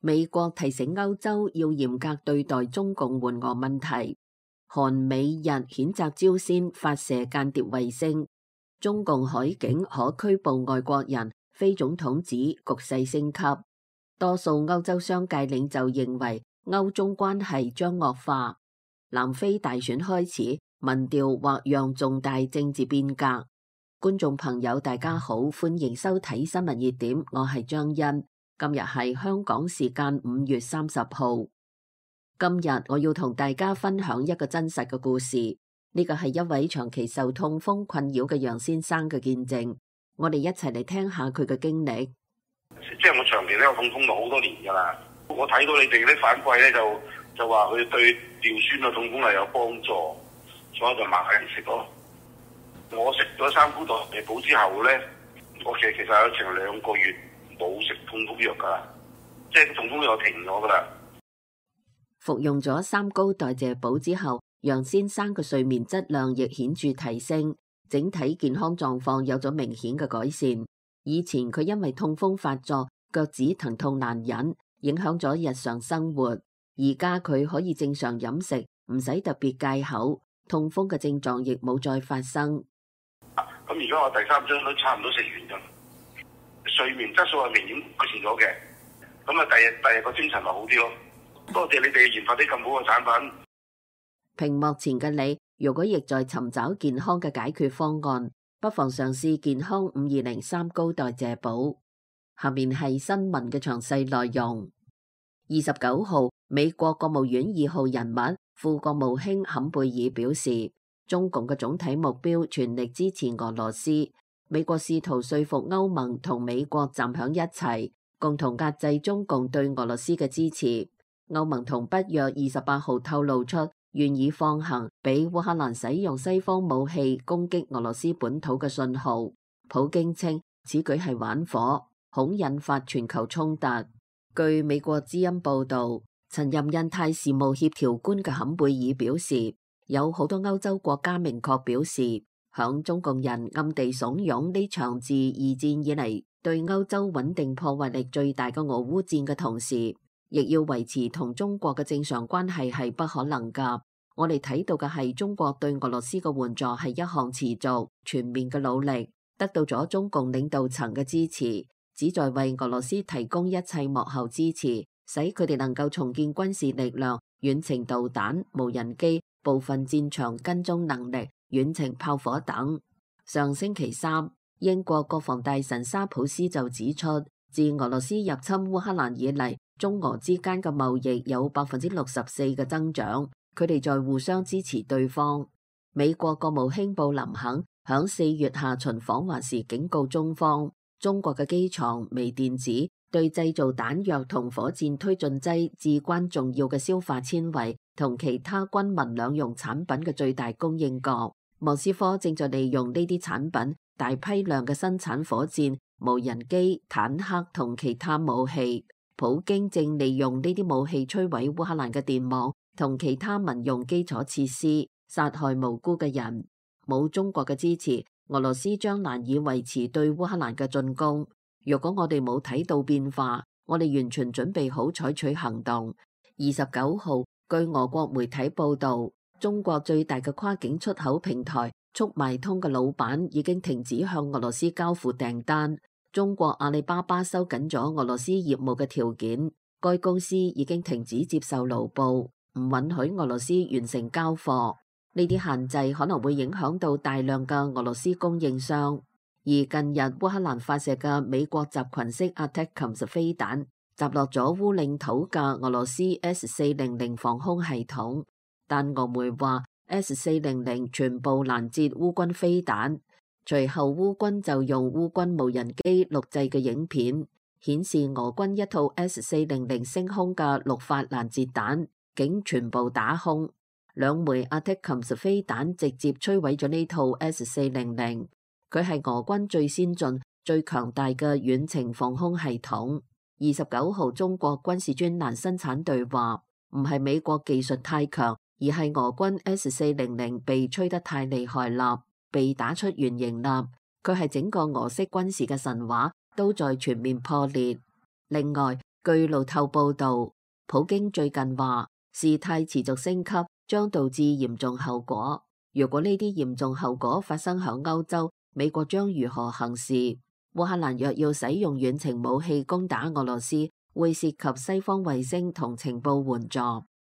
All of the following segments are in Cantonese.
美國提醒歐洲要嚴格對待中共援俄問題。韓美日譴責朝鮮發射間諜衛星。中共海警可拘捕外國人。非總統指局勢升級。多數歐洲商界領袖認為歐中關係將惡化。南非大選開始，民調或讓重大政治變革。觀眾朋友大家好，歡迎收睇新聞熱點，我係張欣。今日係香港時間5月30號。今日我要同大家分享一個真實嘅故事，呢個係一位長期受痛風困擾嘅楊先生嘅見證。我哋一齊嚟聽下佢嘅經歷。即係我長期都有痛風咗好多年㗎啦。我睇到你哋啲反饋咧，就話佢對尿酸嘅痛風係有幫助，所以就買嚟食咯。我食咗三菇代謝補之後咧，我其實有成2個月冇食痛風藥㗎，即係痛風藥停咗㗎啦。服用咗三高代謝補之後，楊先生嘅睡眠質量亦顯著提升，整體健康狀況有咗明顯嘅改善。以前佢因為痛風發作，腳趾疼痛難忍，影響咗日常生活。而家佢可以正常飲食，唔使特別戒口，痛風嘅症狀亦冇再發生。咁而家我第3針都差唔多食完咗，睡眠質素係明顯改善咗嘅。咁啊，第日個精神咪好啲咯。多謝你哋研發啲咁好嘅產品。屏幕前嘅你，如果亦在尋找健康嘅解決方案，不妨嘗試健康520三高代謝補。下面係新聞嘅詳細內容。29號，美國國務院2號人物副國務卿坎貝爾表示，中共嘅總體目標全力支持俄羅斯。美國試圖說服歐盟同美國站響一齊，共同壓制中共對俄羅斯嘅支持。歐盟同北約28號透露出願意放行俾烏克蘭使用西方武器攻擊俄羅斯本土嘅信號。普京稱此舉係玩火，恐引發全球衝突。據美國之音報道，曾任印太事務協調官嘅坎貝爾表示，有好多歐洲國家明確表示，響中共人暗地慫恿呢場自二戰以嚟對歐洲穩定破壞力最大嘅俄烏戰嘅同時，亦要維持同中國嘅正常關係係不可能㗎。我哋睇到嘅係中國對俄羅斯嘅援助係一項持續全面嘅努力，得到咗中共領導層嘅支持，旨在為俄羅斯提供一切幕後支持，使佢哋能夠重建軍事力量、遠程導彈、無人機、部分戰場跟蹤能力、遠程炮火等。上星期三，英國國防大臣沙普斯就指出，自俄羅斯入侵烏克蘭以嚟，中俄之間嘅貿易有64%嘅增長，佢哋在互相支持對方。美國國務卿布林肯響4月下旬訪華時警告中方，中國嘅機床、微電子對製造彈藥同火箭推進劑至關重要嘅消化纖維同其他軍民兩用產品嘅最大供應國。莫斯科正在利用呢啲產品大批量嘅生產火箭、無人機、坦克同其他武器。普京正利用呢啲武器摧毀烏克蘭嘅電網同其他民用基礎設施，殺害無辜嘅人。冇中國嘅支持，俄羅斯將難以維持對烏克蘭嘅進攻。如果我哋冇睇到變化，我哋完全準備好採取行動。29號，據俄國媒體報道，中國最大嘅跨境出口平台速賣通嘅老闆已經停止向俄羅斯交付訂單。中國阿里巴巴收緊咗俄羅斯業務嘅條件，該公司已經停止接受盧布，唔允許俄羅斯完成交貨。呢啲限制可能會影響到大量嘅俄羅斯供應商。而近日烏克蘭發射嘅美國集群式 ATACMS 飛彈擊落咗烏領土嘅俄羅斯 S-400防空系統，但俄媒話 S-400全部攔截烏軍飛彈。隨後烏軍就用烏軍無人機錄製嘅影片顯示，俄軍一套 S-400升空嘅6發攔截彈竟全部打空。2枚 ATACMS 飛彈直接摧毀咗呢套 S-400，佢係俄軍最先進、最強大嘅遠程防空系統。29號，中國軍事專欄生產隊話，唔係美國技術太強，而係俄軍 S-400被吹得太厲害啦，被打出原形啦，佢係整個俄式軍事嘅神話都在全面破裂。另外，據路透報導，普京最近話事態持續升級將導致嚴重後果。如果呢啲嚴重後果發生響歐洲，美國將如何行事？烏克蘭若要使用遠程武器攻打俄羅斯，會涉及西方衛星同情報援助，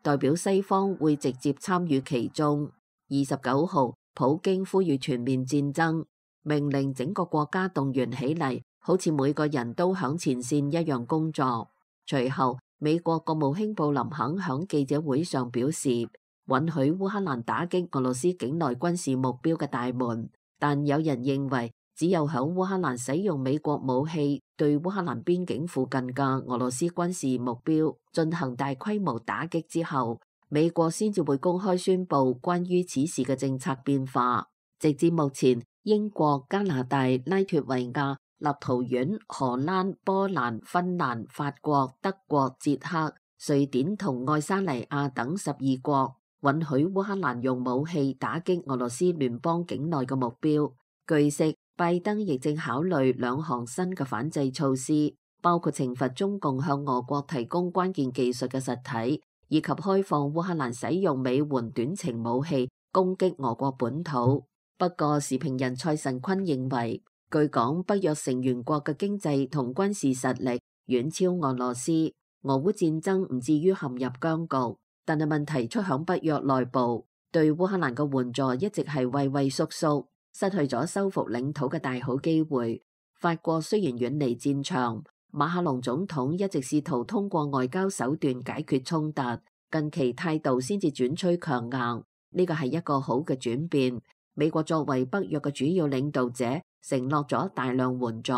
代表西方會直接參與其中。29號，普京呼籲全面戰爭，命令整個國家動員起嚟，好似每個人都響前線一樣工作。隨後，美國國務卿布林肯響記者會上表示，允許烏克蘭打擊俄羅斯境內軍事目標嘅大門，但有人認為，只有響烏克蘭使用美國武器對烏克蘭邊境附近嘅俄羅斯軍事目標進行大規模打擊之後，美國先至會公開宣布關於此事嘅政策變化。直至目前，英國、加拿大、拉脫維亞、立陶宛、荷蘭、波蘭、芬蘭、法國、德國、捷克、瑞典同愛沙尼亞等12國允許烏克蘭用武器打擊俄羅斯聯邦境內嘅目標。據悉，拜登亦正考慮2項新嘅反制措施，包括懲罰中共向俄國提供關鍵技術嘅實體，以及開放烏克蘭使用美援短程武器攻擊俄國本土。不過，時評人蔡慎坤認為，據講北約成員國嘅經濟同軍事實力遠超俄羅斯，俄烏戰爭唔至於陷入僵局，但係問題出響北約內部，對烏克蘭嘅援助一直係畏畏縮縮，失去咗收復領土嘅大好機會。法國雖然遠離戰場，馬克龍總統一直試圖通過外交手段解決衝突，近期態度先至轉趨強硬，呢個係一個好嘅轉變。美國作為北約嘅主要領導者，承諾咗大量援助，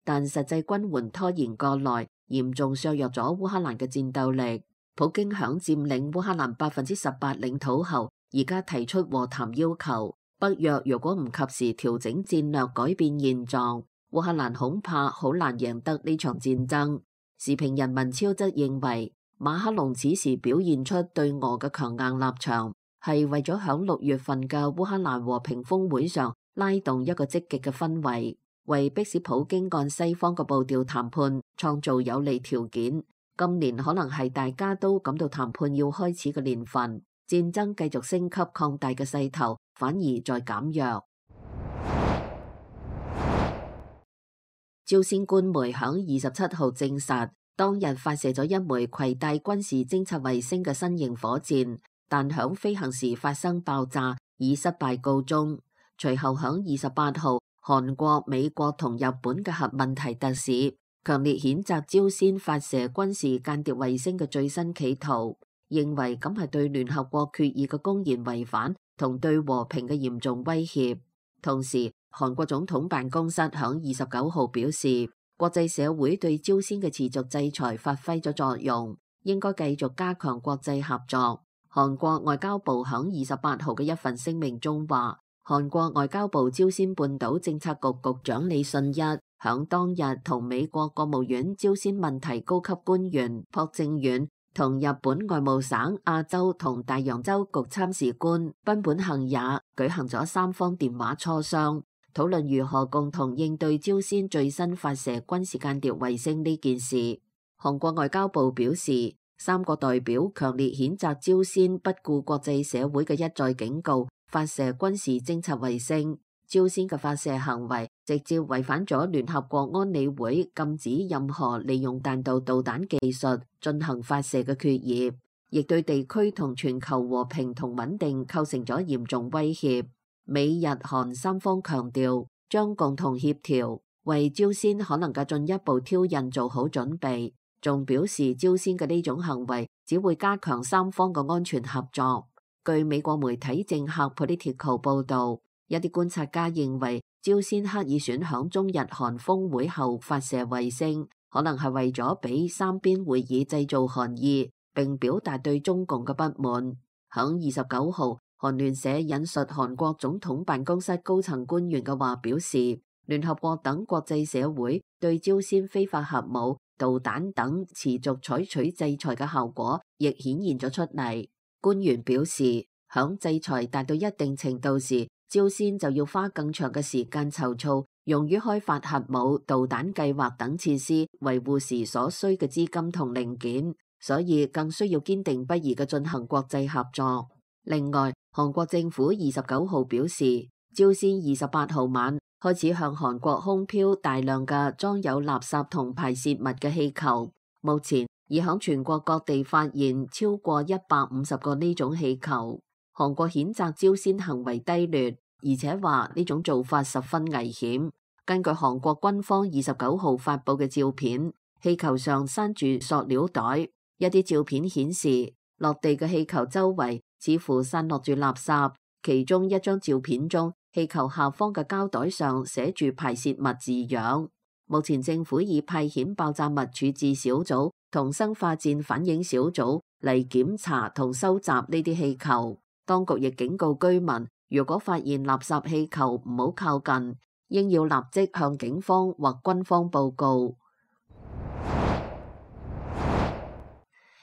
但實際軍援拖延過來，嚴重削弱咗烏克蘭嘅戰鬥力。普京響佔領烏克蘭18%領土後，而家提出和談要求。北約如果唔及時調整戰略，改變現狀，烏克蘭恐怕好難贏得呢場戰爭。時評人文超則認為，馬克龍此時表現出對俄嘅強硬立場，係為咗響6月份嘅烏克蘭和平峰會上拉動一個積極嘅氛圍，為迫使普京按西方嘅步調談判創造有利條件。今年可能係大家都感到談判要開始嘅年份，戰爭繼續升級擴大嘅勢頭反而在減弱。朝鮮官媒響27號證實，當日發射咗一枚攜帶軍事偵察衛星嘅新型火箭，但響飛行時發生爆炸，以失敗告終。隨後響28號，韓國、美國同日本嘅核問題特使強烈譴責朝鮮發射軍事間諜衛星嘅最新企圖，認為咁係對聯合國決議嘅公然違反同對和平嘅嚴重威脅。同時，韓國總統辦公室響29號表示，國際社會對朝鮮嘅持續制裁發揮咗作用，應該繼續加強國際合作。韓國外交部響28號嘅一份聲明中話，韓國外交部朝鮮半島政策局局長李信一響當日同美國國務院朝鮮問題高級官員朴正遠同日本外務省亞洲同大洋洲局參事官濱本幸也舉行咗3方電話磋商，討論如何共同應對朝鮮最新發射軍事間諜衛星呢件事。韓國外交部表示，3個代表強烈譴責朝鮮不顧國際社會嘅一再警告，發射軍事偵察衛星。朝鮮嘅發射行為直接違反咗聯合國安理會禁止任何利用彈道導彈技術進行發射嘅決議，亦對地區同全球和平同穩定構成咗嚴重威脅。美日韓3方強調將共同協調，為朝鮮可能嘅進一步挑釁做好準備，仲表示朝鮮嘅呢種行為只會加強3方嘅安全合作。據美國媒體政客 Politico 報導，一啲觀察家認為，朝鮮刻意選響中日韓峰會後發射衛星，可能係為咗俾三邊會議製造寒意，並表達對中共嘅不滿。響29號，韓聯社引述韓國總統辦公室高層官員嘅話表示，聯合國等國際社會對朝鮮非法核武、導彈等持續採取制裁嘅效果亦顯現咗出嚟。官員表示，響制裁達到一定程度時，朝鮮就要花更長嘅時間籌措用於開發核武、導彈計劃等設施維護時所需嘅資金同零件，所以更需要堅定不移嘅進行國際合作。另外，韓國政府29號表示，朝鮮28號晚開始向韓國空飄大量嘅裝有垃圾同排泄物嘅氣球，目前已響全國各地發現超過150個呢種氣球。韓國譴責朝鮮行為低劣，而且話呢種做法十分危險。根據韓國軍方29號發布嘅照片，氣球上塞住塑料袋，一啲照片顯示落地嘅氣球周圍似乎散落住垃圾，其中一張照片中，氣球下方嘅膠袋上寫住排泄物字樣。目前政府已派遣爆炸物處置小組同生化戰反應小組嚟檢查同收集呢啲氣球。當局亦警告居民，如果發現垃圾氣球唔好靠近，應要立即向警方或軍方報告。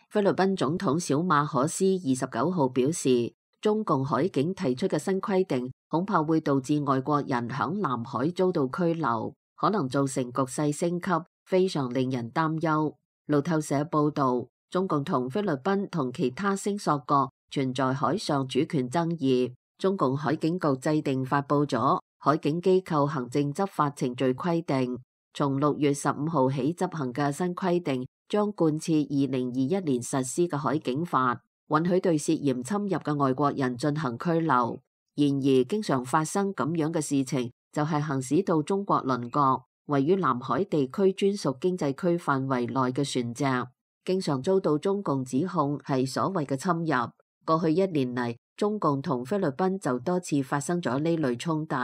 菲律賓總統小馬可斯29號表示，中共海警提出嘅新規定恐怕會導致外國人響南海遭到拘留，可能造成局勢升級，非常令人擔憂。路透社報道，中共同菲律賓同其他聲索國存在海上主權爭議，中共海警局制定發布咗海警機構行政執法程序規定，從6月15號起執行嘅新規定將貫徹2021年實施嘅海警法，允許對涉嫌侵入嘅外國人進行拘留。然而，經常發生咁樣嘅事情，就係行駛到中國鄰國位於南海地區專屬經濟區範圍內嘅船隻，經常遭到中共指控係所謂嘅侵入。過去1年嚟，中共同菲律賓就多次發生咗呢類衝突。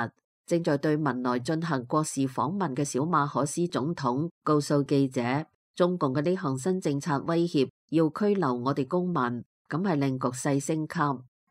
正在對文萊進行國事訪問嘅小馬可斯總統告訴記者，中共嘅呢項新政策威脅要拘留我哋公民，咁係令局勢升級。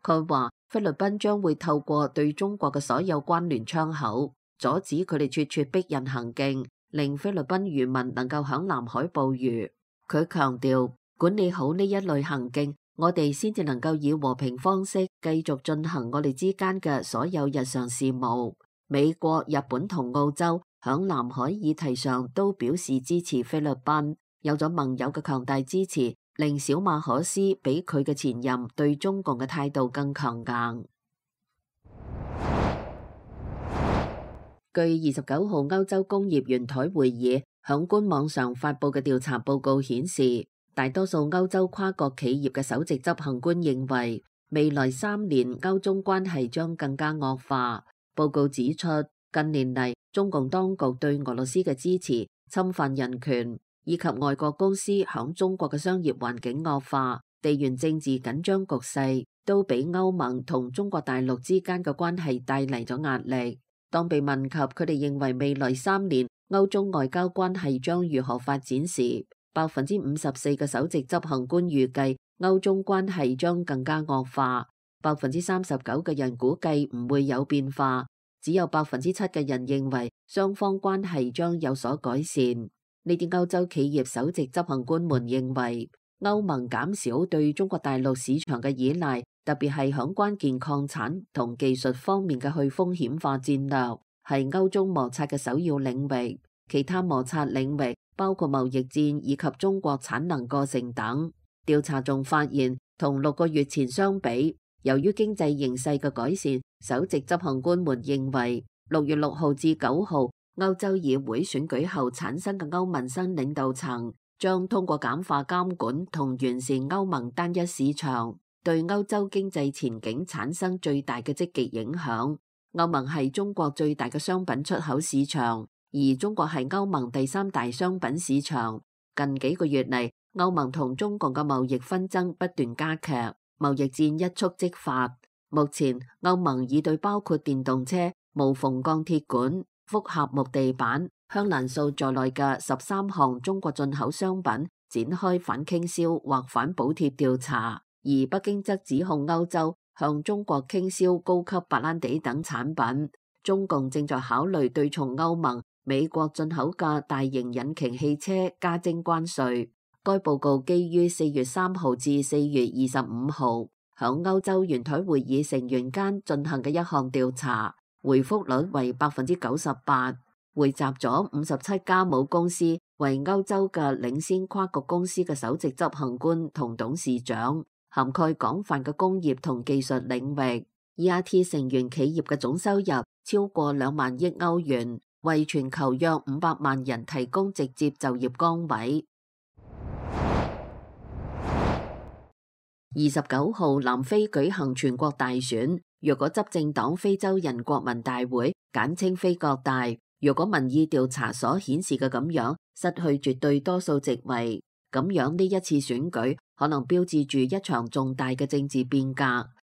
佢話菲律賓將會透過對中國嘅所有關聯窗口，阻止佢哋咄咄逼人行徑，令菲律賓漁民能夠響南海捕魚。佢強調，管理好呢一類行徑，我哋先至能夠以和平方式繼續進行我哋之間嘅所有日常事務。美國、日本同澳洲響南海議題上都表示支持菲律賓，有咗盟友嘅強大支持，令小馬可斯比佢嘅前任對中共嘅態度更強硬。據29號歐洲工業圓台會議響官網上發布嘅調查報告顯示，大多數歐洲跨國企業嘅首席執行官認為，未來3年歐中關係將更加惡化。報告指出，近年嚟中共當局對俄羅斯嘅支持、侵犯人權，以及外國公司響中國嘅商業環境惡化、地緣政治緊張局勢，都俾歐盟同中國大陸之間嘅關係帶嚟咗壓力。當被問及佢哋認為未來3年歐中外交關係將如何發展時，54%嘅首席執行官預計歐中關係將更加惡化。39%嘅人估計唔會有變化，只有7%嘅人認為雙方關係將有所改善。呢啲歐洲企業首席執行官們認為，歐盟減少對中國大陸市場嘅依賴，特別係響關鍵礦產同技術方面嘅去風險化戰略，係歐中摩擦嘅首要領域。其他摩擦領域包括貿易戰以及中國產能過剩等。調查仲發現，同6個月前相比，由於經濟形勢嘅改善，首席執行官們認為6月6號至9號歐洲議會選舉後產生嘅歐盟新領導層將通過簡化監管同完善歐盟單一市場，對歐洲經濟前景產生最大嘅積極影響。歐盟係中國最大嘅商品出口市場，而中國係歐盟第3大商品市場。近幾個月嚟，歐盟同中共嘅貿易紛爭不斷加劇，貿易戰一觸即發。目前，歐盟已對包括電動車、無縫鋼鐵管、複合木地板、香蘭素在內嘅13項中國進口商品展開反傾銷或反補貼調查，而北京則指控歐洲向中國傾銷高級白蘭地等產品。中共正在考慮對從歐盟、美國進口嘅大型引擎汽車加徵關稅。該報告基於4月3號至4月25號響歐洲圓台會議成員間進行嘅一項調查，回覆率為98%。匯集咗57家母公司，為歐洲嘅領先跨國公司嘅首席執行官同董事長，涵蓋廣泛嘅工業同技術領域。ERT 成員企業嘅總收入超過2萬億歐元，為全球約500萬人提供直接就業崗位。29號南非舉行全國大選，若果執政黨非洲人國民大會簡稱非國大，若果民意調查所顯示嘅咁樣失去絕對多數席位，咁樣呢一次選舉可能標誌住一場重大嘅政治變革。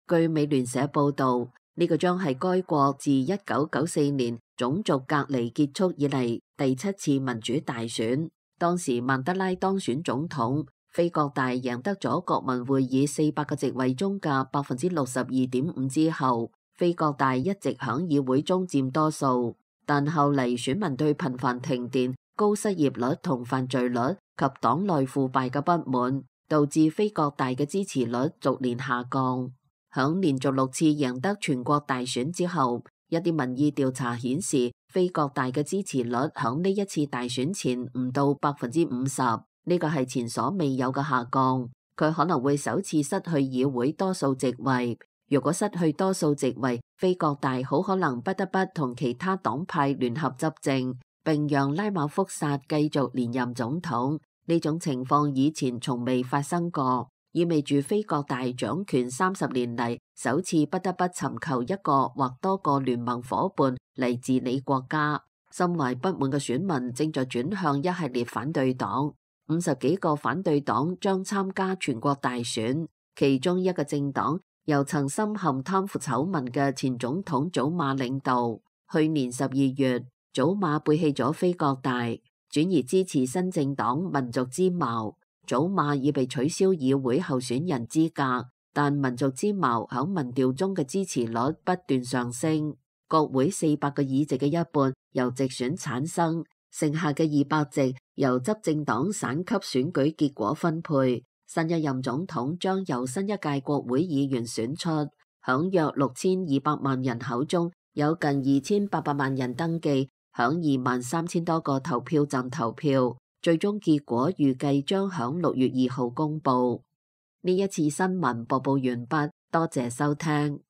據美聯社報道，呢個將係該國自1994年種族隔離結束以嚟第7次民主大選。當時曼德拉當選總統，非國大贏得咗國民會議400個席位中嘅62.5%之後，非國大一直響議會中佔多數。但後嚟選民對頻繁停電、高失業率同犯罪率及黨內腐敗嘅不滿，導致非國大嘅支持率逐年下降。響連續6次贏得全國大選之後，一啲民意調查顯示，非國大嘅支持率響呢一次大選前唔到50%，呢個係前所未有嘅下降。佢可能會首次失去議會多數席位。如果失去多數席位，非國大好可能不得不同其他黨派聯合執政，並讓拉馬福薩繼續連任總統。呢種情況以前從未發生過，意味住非國大掌權30年嚟首次不得不尋求一個或多個聯盟夥伴嚟治理國家。心懷不滿嘅選民正在轉向一系列反對黨，50幾個反對黨將參加全國大選，其中一個政黨由曾深陷貪腐醜聞嘅前總統祖馬領導。去年12月，祖馬背棄咗非國大，轉而支持新政黨民族之矛。祖馬已被取消議會候選人資格，但民族之矛響民調中嘅支持率不斷上升。國會400個議席嘅一半由直選產生，剩下嘅200席由執政黨省級選舉結果分配。新一任總統將由新一屆國會議員選出。響約6200萬人口中，有近2800萬人登記，響23000多個投票站投票。最終結果預計將響6月2號公佈。呢一次新聞播報完畢，多謝收聽。